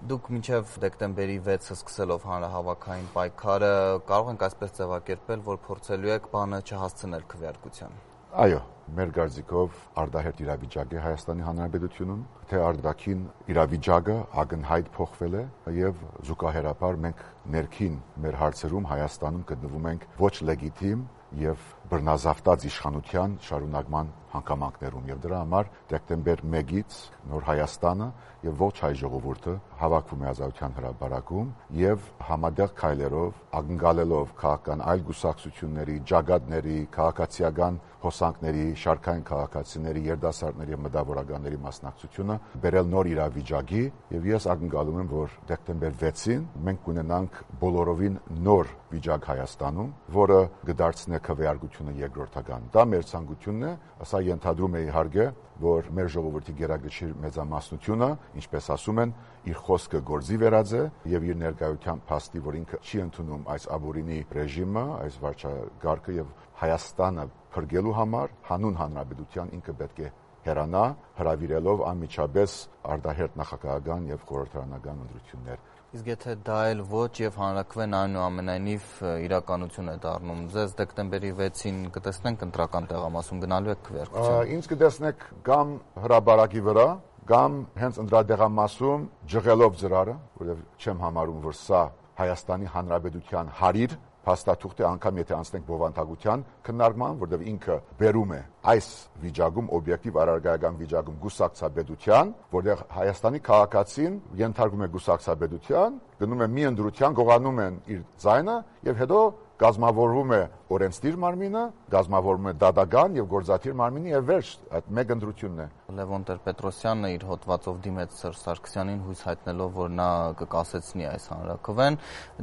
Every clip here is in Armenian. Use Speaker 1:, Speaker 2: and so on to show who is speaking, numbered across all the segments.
Speaker 1: Դուք մինչև դեկտեմբերի 6-ը սկսելով հանրահավաքային պայքարը կարող ենք այսպես ձևակերպել, որ փորձելու եք բանը չհասցնել քվեարկության։
Speaker 2: Այո, մեր կարծիքով արտահերթ իրավիճակ է Հայաստանի Հանրապետությունում, թե արտաքին իրավիճակը ակնհայտ փոխվել է եւ զուգահեռաբար մենք ներքին մեր հարցերում Հայաստանում գտնվում ենք ոչ լեգիտիմ եւ բռնազավթած իշխանության շարունակման հանգամանքներում եւ դրա համար դեկտեմբեր 1-ից նոր Հայաստանը եւ ոչ հայ ժողովուրդը հավաքվում է Ազատության հրապարակում եւ համատեղ քայլերով ակնկալելով քաղաքական այլ գուսակցությունների, ջագատների, քաղաքացիական հոսանքների, շարքային քաղաքացիների, երիտասարդների եւ մտավորականների մասնակցությունը բերել նոր իրավիճակի եւ ես ակնկալում եմ, որ դեկտեմբեր 6-ին մենք կունենանք բոլորովին նոր վիճակ Հայաստանում, որը կդարձնի քվեարկությունը երկրորդական։ Դա մեր ցանկությունն է, սա ենթադրում է իհարկե, որ մեր ժողովրդի գերագշիր մեծամասնությունը, ինչպես ասում են, իր խոսքը գործի վերածե եւ իր ներկայության փաստի, որ ինքը չի ընդունում այս ապօրինի ռեժիմը, այս վարչակարգը եւ Հայաստանը փրկելու համար հանուն հանրապետության ինքը պետք է հեռանա, հրավիրելով անմիջապես արտահերթ նախագահական եւ խորհրդարանական ընտրություններ։
Speaker 1: Իսկ եթե դա էլ ոչ եւ հանրաքվեն այնուամենայնիվ իրականություն է դառնում, ձեզ դեկտեմբերի 6-ին կտեսնենք ընտրական տեղամասում գնալու եք քվեարկության։
Speaker 2: Ինձ կտեսնեք կամ հրապարակի վրա, կամ հենց ընտրադեղամասում ջղելով ծրարը, որովհետեւ չեմ համարում, որ սա Հայաստանի Հանրապետության հարիր փաստաթուղթ է, անգամ եթե անցնենք բովանդակության քննարկման, որտեղ ինքը բերում է այս վիճակում օբյեկտիվ առարկայական վիճակում գուսակցաբեդության, որտեղ Հայաստանի քաղաքացին ենթարկվում է գուսակցաբեդության, գնում է մի ընդրության, գողանում են իր ձայնը եւ հետո կազմավորվում է օրենսդիր մարմինը, կազմավորվում է դատական եւ գործադիր մարմինը եւ վերջ, այդ մեկ ընտրությունն է։
Speaker 1: Լևոն Տեր-Պետրոսյանը իր հոդվածով դիմեց Սերժ Սարգսյանին հույս հայտնելով, որ նա կկասեցնի այս հանրաքվեն։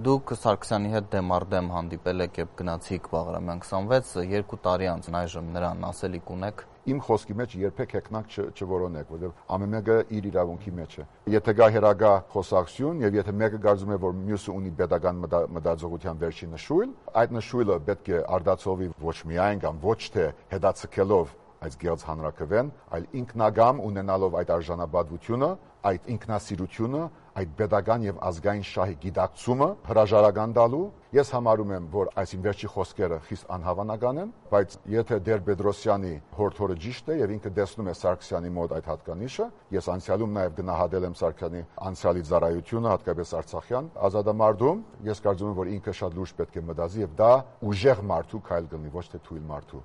Speaker 1: Դուք Սարգսյանի հետ դեմառդեմ հանդիպել եք եւ գնացիք Բաղրամյան 26, 2 տարի անց այժմ նրան ասելիք ունեք։
Speaker 2: Իմ խոսքի մեջ երբեք հեքնակ չորոնեք, որովհետև ամեն մեկը իր իրավունքի մեջ է։ Եթե գա հերագա խոսակցություն եւ եթե մեկը կարծում է, որ մյուսը ունի pedagogan մտածողության վերջին նշույլ, այդ նշույլը պետք է արդացովի ոչ միայն կամ ոչ թե հետաձգելով այս գերց հանրաքվեն, այլ ինքնագամ ունենալով այդ արժանապատվությունը, այդ ինքնասիրությունը, այդ pedagogan եւ ազգային շահի գիտակցումը հրաժարական տալու։ Ես համարում եմ, որ այս վերջի խոսքերը խիստ անհավանական են, բայց եթե Տեր-Պետրոսյանի հորդորը ճիշտ է եւ ինքը տեսնում է Սարգսյանի մոտ այդ հատկանիշը, ես անցյալում նաեւ գնահատել եմ Սարգսյանի անցյալի ծառայությունը, հատկապես Արցախյան ազատամարտում, ես կարծում եմ, որ ինքը շատ լուրջ պետք է մտածի եւ դա ուժեղ մարդու քայլ կլինի, ոչ թե թույլ մարդու։